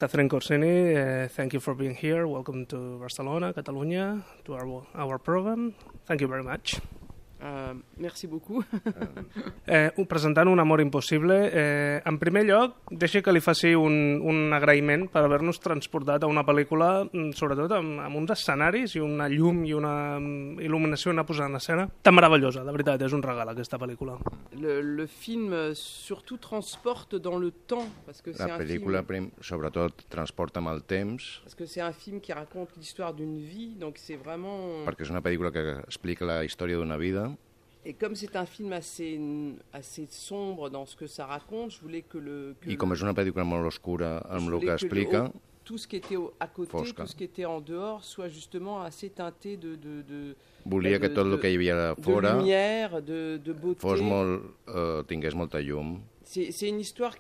Catherine Corsini, thank you for being here. Welcome to Barcelona, Catalunya, to our program. Thank you very much. Merci beaucoup. Presentant Un amor impossible, en primer lloc, deixi que li faci un agraïment per haver-nos transportat a una pel·lícula, sobretot amb uns escenaris i una llum i una il·luminació, una posada en escena tan meravellosa. De veritat, és un regal aquesta pel·lícula. Le film surtout transporte dans le temps, parce que c'est la pel·lícula sobretot transporta amb el temps, parce que c'est un film qui raconte l'histoire d'une vie, donc c'est vraiment... perquè és una pel·lícula que explica la història d'una vida. Et comme c'est un film assez sombre dans ce que ça raconte, je voulais que I com és una pel·lícula molt oscura amb el que explica, tout ce qui était à côté, fosca. Tout ce qui était en dehors, soit justement assez teinté volia que tot el que hi havia fora, de lumière, de beauté, fos tingués molta llum. C'est une histoire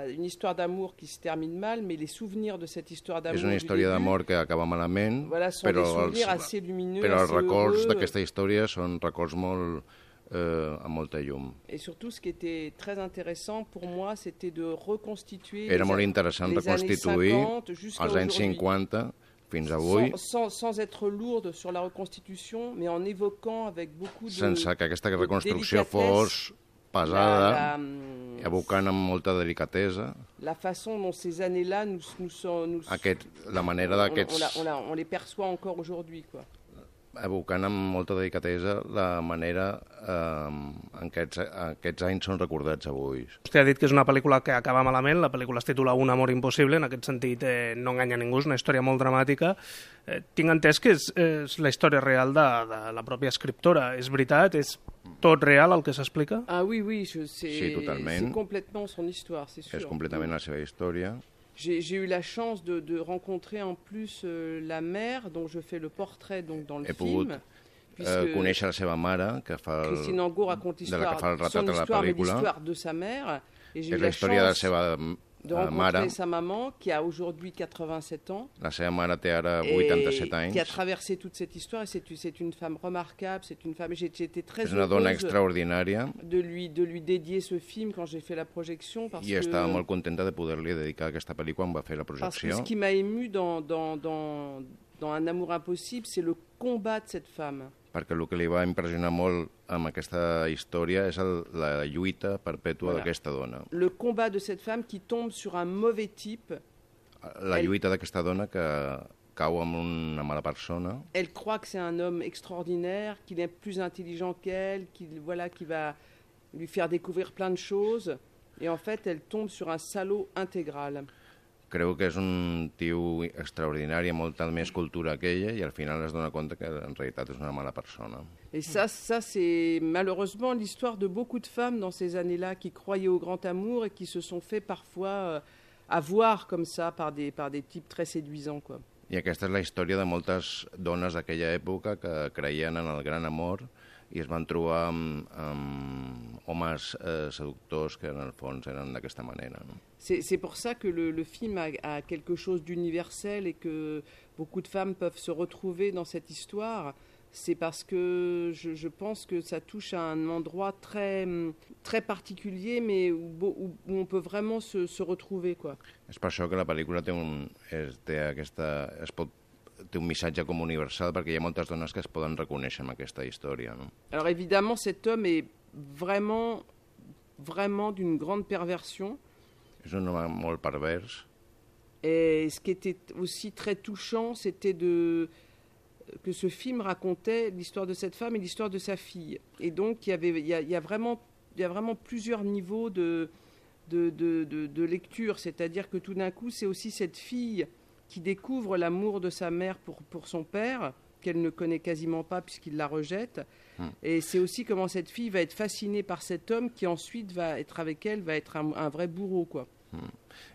une histoire d'amour qui se termine mal, mais les souvenirs de cette histoire d'amour és una història d'amor que acaba malament, voilà, però els records d'aquesta història són records molt amb molta llum. Et surtout, ce qui était très intéressant pour moi, c'était de reconstituer Era molt interessant reconstituir els anys 50 fins avui, sans être lourde sur la reconstitution, mais en évoquant avec beaucoup de sense que aquesta reconstrucció fos pesada, evocant amb molta delicatesa la façon dont ces années-là la manera d'aquests... On les perçoit encore aujourd'hui, quoi. Evocant amb molta delicatesa la manera en què aquests anys són recordats avui. Vostè ha dit que és una pel·lícula que acaba malament, la pel·lícula es titula Un amor impossible, en aquest sentit no enganya ningú, és una història molt dramàtica. Tinc entès que és la història real de la pròpia escriptora, és veritat? És tot real el que s'explica? Ah oui, sí, totalment. C'est complètement son histoire, c'est sûr. És completament la seva història. J'ai eu la chance de rencontrer en plus la mère dont je fais le portrait donc, dans le film. He pogut conèixer la seva mare, que fa Christine Angot raconte l'histoire, son histoire, mais l'histoire de sa mère. Et j'ai eu la chance de rencontrer sa maman, qui a aujourd'hui 87 ans. La seva mare té ara 87 anys. Qui a traversé toute cette histoire. Et c'est une femme remarquable. C'est une femme. J'étais très heureuse. És una dona extraordinària. De lui dédier ce film quand j'ai fait la projection. I estava molt contenta de poder-li dedicar aquesta pel·lícula quan va fer la projecció. Parce que ce qui m'a ému dans Un amour impossible, c'est le combat de cette femme. Perquè el que li va impressionar molt amb aquesta història és la lluita perpètua d'aquesta dona. Le combat de cette femme qui tombe sur un mauvais type. La lluita d'aquesta dona que cau amb una mala persona. Elle croit que c'est un homme extraordinaire, qu'il est plus intelligent qu'elle, qui va lui faire découvrir plein de choses. Et en fait, elle tombe sur un salaud intégral. Creu que és un tio extraordinari, amb molta més cultura que ella, i al final es dona compte que en realitat és una mala persona. Et ça c'est malheureusement l'histoire de beaucoup de femmes dans ces années-là qui croyaient au grand amour et qui se sont fait parfois avoir comme ça par des types très séduisants, quoi. I aquesta és la història de moltes dones d'aquella època que creien en el gran amor i es van trobar amb homes seductors que en el fons eren d'aquesta manera. No? C'est pour ça que le film a quelque chose d'universel et que beaucoup de femmes peuvent se retrouver dans cette histoire. C'est parce que je pense que ça touche à un endroit très, très particulier, mais où on peut vraiment se retrouver, quoi. És per això que la pel·lícula té un missatge com universal, perquè hi ha moltes dones que es poden reconèixer en aquesta història. No? Alors évidemment, cet homme est vraiment d'une grande perversion. És un home molt pervers. Et ce qui était aussi très touchant, c'était que ce film racontait l'histoire de cette femme et l'histoire de sa fille. Et donc, il y a vraiment plusieurs niveaux de lecture. C'est-à-dire que tout d'un coup, c'est aussi cette fille qui découvre l'amour de sa mère pour son père, qu'elle ne connaît quasiment pas puisqu'il la rejette. Et c'est aussi comment cette fille va être fascinée par cet homme qui ensuite va être avec elle, va être un vrai bourreau, quoi.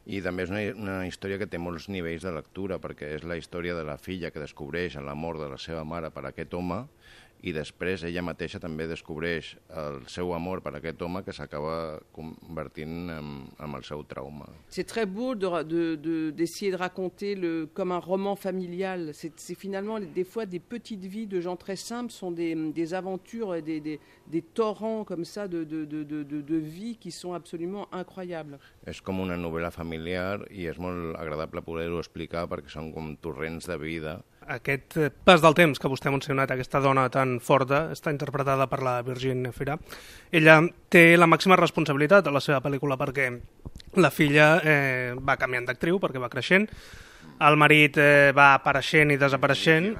I també és una història que té molts nivells de lectura, perquè és la història de la filla que descobreix l'amor de la seva mare per aquest home i després ella mateixa també descobreix el seu amor per aquest home que s'acaba convertint en el seu trauma. C'est très beau d'essayer de raconter comme un roman familial. C'est finalement des fois des petites vies de gens très simples, sont des aventures et des torrents comme ça de vie qui sont absolument incroyables. És com una novel·la familiar i és molt agradable poder-ho explicar perquè són com torrents de vida. Aquest pas del temps que vostè ha mencionat, aquesta dona tan forta, està interpretada per la Virginie Fira. Ella té la màxima responsabilitat a la seva pel·lícula perquè la filla va canviant d'actriu, perquè va creixent, el marit va apareixent i desapareixent.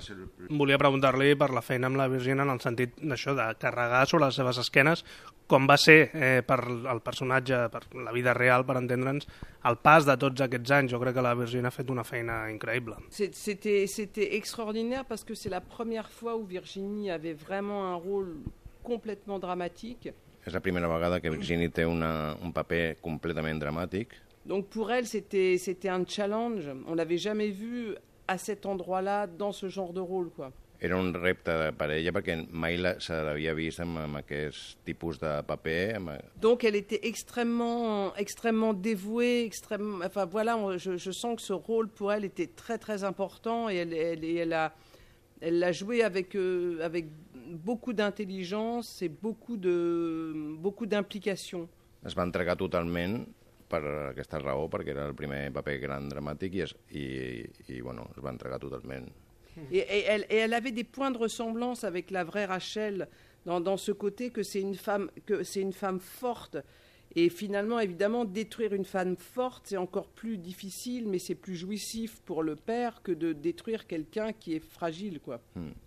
Volia preguntar-li per la feina amb la Virginia en el sentit d'això, de carregar sobre les seves esquenes, com va ser per el personatge, per la vida real, per entendre'ns, el pas de tots aquests anys. Jo crec que la Virginia ha fet una feina increïble. C'était extraordinaire parce que c'est la première fois où Virginie avait vraiment un rôle complètement dramatique. És la primera vegada que Virginie té un paper completament dramàtic. Donc pour elle, c'était un challenge. On l'avait jamais vu à cet endroit-là, dans ce genre de rôle, quoi. Era un repte per ella perquè mai se l'havia vist amb aquest tipus de paper. Donc elle était extrêmement dévouée, enfin voilà, je sens que ce rôle pour elle était très très important et elle l'a joué avec beaucoup d'intelligence et beaucoup d'implication. Es va entregar totalment per aquesta raó, perquè era el primer paper gran dramàtic i bueno, es va entregar totalment. Et elle avait des points de ressemblance avec la vraie Rachel dans ce côté que c'est une femme forte. Et finalement, évidemment, détruire une femme forte, c'est encore plus difficile, mais c'est plus jouissif pour le père que de détruire quelqu'un qui est fragile, quoi.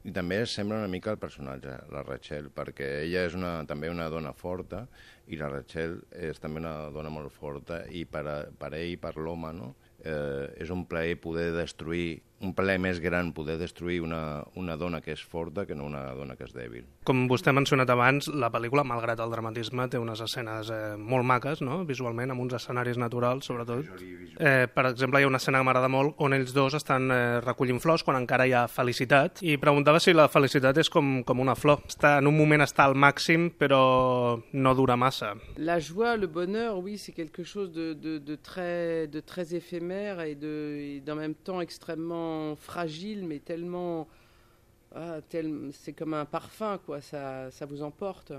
I també sembla una mica el personatge, la Rachel, perquè ella és també una dona forta i la Rachel és també una dona molt forta i per ell, per l'home, no? És un plaer poder destruir, un plaer més gran poder destruir una dona que és forta que no una dona que és dèbil. Com vostè ha mencionat abans, la pel·lícula, malgrat el dramatisme, té unes escenes molt maques, no? Visualment, amb uns escenaris naturals, sobretot. Per exemple, hi ha una escena que m'agrada molt on ells dos estan recollint flors quan encara hi ha felicitat, i preguntava si la felicitat és com una flor. En un moment està al màxim, però no dura massa. La joie, le bonheur, oui, c'est quelque chose de très éphémère et d'en même temps extrêmement fragile, mais tellement... c'est comme un parfum, quoi, ça vous emporte.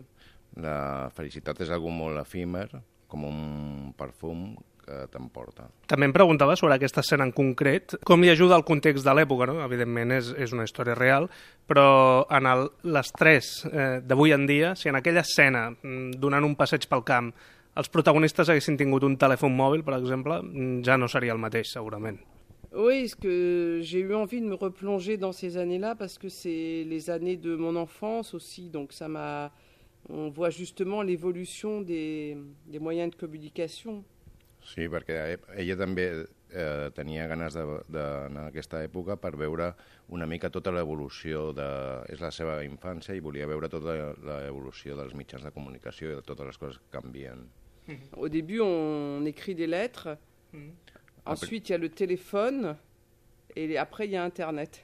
La felicitat és algo molt efímer, com un perfum que t'emporta. També em preguntava sobre aquesta escena en concret, com li ajuda el context de l'època, no? Evidentment és una història real, però en l'estrès d'avui en dia, si en aquella escena, donant un passeig pel camp, els protagonistes haguessin tingut un telèfon mòbil, per exemple, ja no seria el mateix, segurament. Oui, parce que j'ai eu envie de me replonger dans ces années-là parce que c'est les années de mon enfance aussi, donc on voit justement l'évolution des moyens de communication. Sí, perquè ella també tenia ganes d'anar a aquesta època per veure una mica tota l'evolució és la seva infància i volia veure tota l'evolució dels mitjans de comunicació i de totes les coses que canvien. Au début, on écrit des lettres. Ensuite, il y a le téléphone et après, il y a Internet.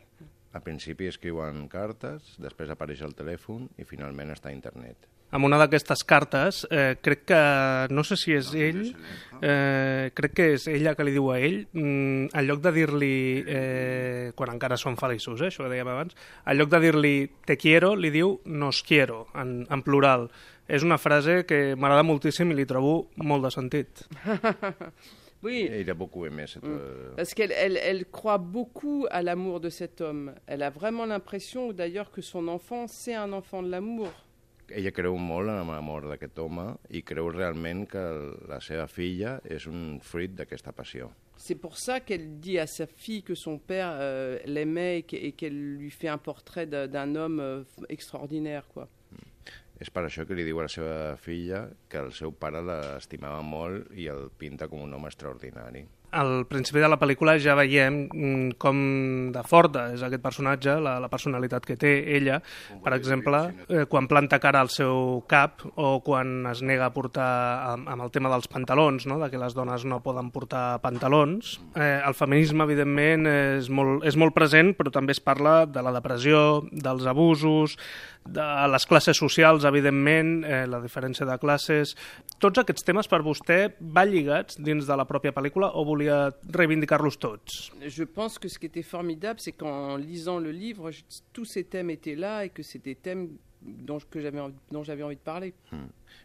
Al principi escriuen cartes, després apareix el telèfon i finalment està Internet. Amb una d'aquestes cartes, crec que, no sé si és ell, crec que és ella que li diu a ell, en lloc de dir-li, quan encara són feliços, això que dèiem abans, en lloc de dir-li te quiero, li diu nos quiero, en plural. És una frase que m'agrada moltíssim i li trobo molt de sentit. Oui. Il a beaucoup aimé cette... Parce qu'elle croit beaucoup à l'amour de cet homme. Elle a vraiment l'impression, d'ailleurs, que son enfant, c'est un enfant de l'amour. Ella creu molt en l'amor d'aquest home i creu realment que la seva filla és un fruit d'aquesta passió. C'est pour ça qu'elle dit à sa fille que son père l'aimait et qu'elle lui fait un portrait d'un homme extraordinaire, quoi. És per això que li diu a la seva filla que el seu pare l'estimava molt i el pinta com un home extraordinari. al principi de la pel·lícula ja veiem com de forta és aquest personatge, la personalitat que té ella, per exemple, quan planta cara al seu cap o quan es nega a portar amb el tema dels pantalons, no? De que les dones no poden portar pantalons. El feminisme, evidentment, és molt present, però també es parla de la depressió, dels abusos, de les classes socials, evidentment, la diferència de classes. Tots aquests temes per vostè van lligats dins de la pròpia pel·lícula o volia reivindicar-los tots? Je pense que ce qui était formidable, c'est qu'en lisant le livre, tous ces thèmes étaient là et que c'est des thèmes dont j'avais envie de parler.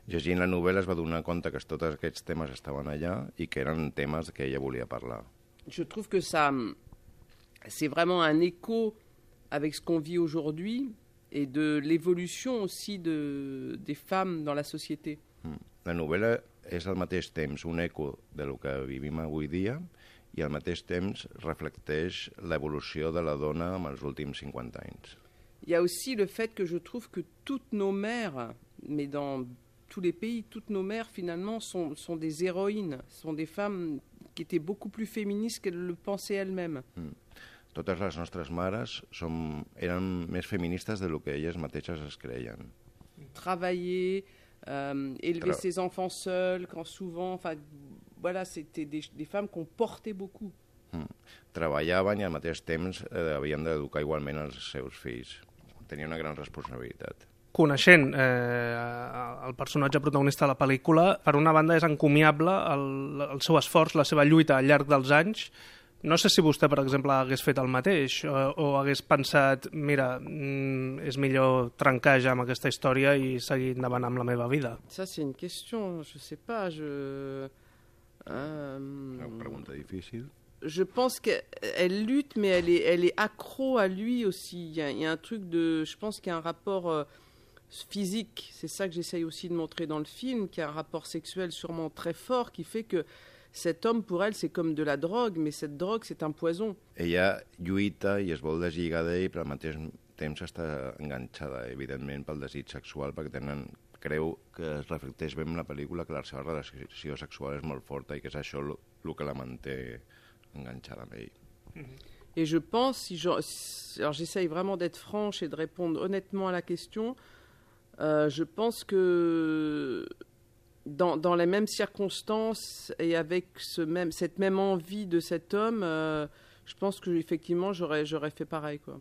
Llegint la novel·la es va donar compte que tots aquests temes estaven allà i que eren temes que ella volia parlar. Je trouve que c'est vraiment un écho avec ce qu'on vit aujourd'hui et de l'évolution aussi des femmes dans la société. La novel·la és al mateix temps un eco de lo que vivim avui dia i al mateix temps reflecteix l'evolució de la dona en els últims 50 anys. Il y a aussi le fait que je trouve que toutes nos mères, mais dans tous les pays, toutes nos mères finalement sont des héroïnes, sont des femmes qui étaient beaucoup plus féministes qu'elles le pensaient elles-mêmes. Totes les nostres mares eren més feministes de lo que elles mateixes es creien. Travailler, élever ses enfants seuls, quand souvent, enfin, voilà, c'était des femmes qu'on portait beaucoup. Treballaven i al mateix temps havien d'educar igualment els seus fills. Tenia una gran responsabilitat. Coneixent el personatge protagonista de la pel·lícula, per una banda és encomiable el seu esforç, la seva lluita al llarg dels anys. No sé si vostè, per exemple, hagués fet el mateix o hagués pensat, mira, és millor trencar ja amb aquesta història i seguir endavant amb la meva vida. Ça, c'est une question, je sais pas, Una pregunta difícil. Je pense qu'elle lutte, mais elle est accro à lui aussi. Il y a un truc je pense qu'il y a un rapport physique, c'est ça que j'essaye aussi de montrer dans le film, qu'il y a un rapport sexuel sûrement très fort qui fait que cet homme, pour elle, c'est comme de la drogue, mais cette drogue, c'est un poison. Ella lluita i es vol deslligar d'ell, però al mateix temps està enganxada, evidentment, pel desig sexual, perquè creu que es reflecteix bé en la pel·lícula que la seva relació sexual és molt forta i que és això el que la manté enganxada amb ell. Et je pense, alors j'essaye vraiment d'être franche et de répondre honnêtement à la question, je pense que dans les mêmes circonstances et avec cette même envie de cet homme, je pense que effectivement j'aurais fait pareil, quoi.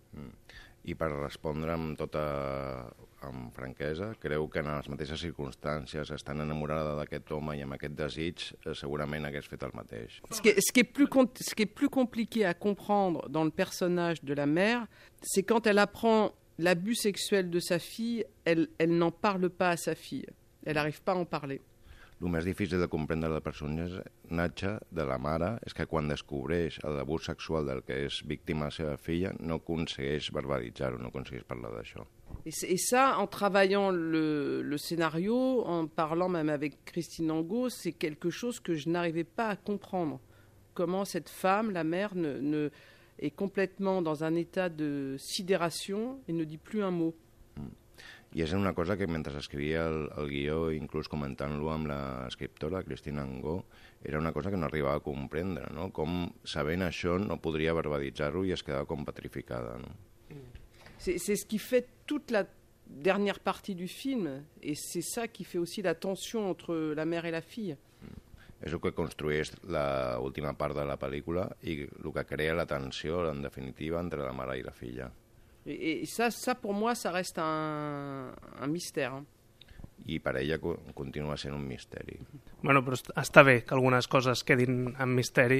I per respondre amb franquesa, creu que en les mateixes circumstàncies, estant enamorada d'aquest home i amb aquest desig, segurament hagués fet el mateix. Ce qui est plus compliqué à comprendre dans le personnage de la mère, c'est quand elle apprend l'abus sexuel de sa fille, elle n'en parle pas à sa fille. Elle n'arrive pas à en parler. El més difícil de comprendre del personatge de la mare és que quan descobreix l'abús sexual del que és víctima la seva filla no aconsegueix verbalitzar-ho, no aconsegueix parlar d'això. Et ça, en travaillant le scénario, en parlant même avec Christine Angot, c'est quelque chose que je n'arrivais pas à comprendre. Comment cette femme, la mère, est complètement dans un état de sidération et ne dit plus un mot. I és una cosa que mentre escrivia el guió, inclús comentant-lo amb l'escriptora, Christine Angot, era una cosa que no arribava a comprendre, no? Com, sabent això, no podria verbalitzar-ho i es quedava com petrificada, no? C'est ce qui fait toute la dernière partie du film, et c'est ça qui fait aussi la tension entre la mère et la fille. És el que construeix l'última part de la pel·lícula i el que crea la tensió, en definitiva, entre la mare i la filla. Et ça, pour moi, ça reste un mystère. Hein. I per ella continua sent un misteri. Bueno, però està bé que algunes coses quedin en misteri,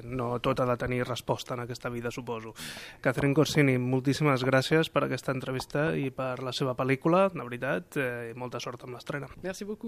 no tot ha de tenir resposta en aquesta vida, suposo. Catherine Corsini, moltíssimes gràcies per aquesta entrevista i per la seva pel·lícula, de veritat, i molta sort amb l'estrena. Merci beaucoup.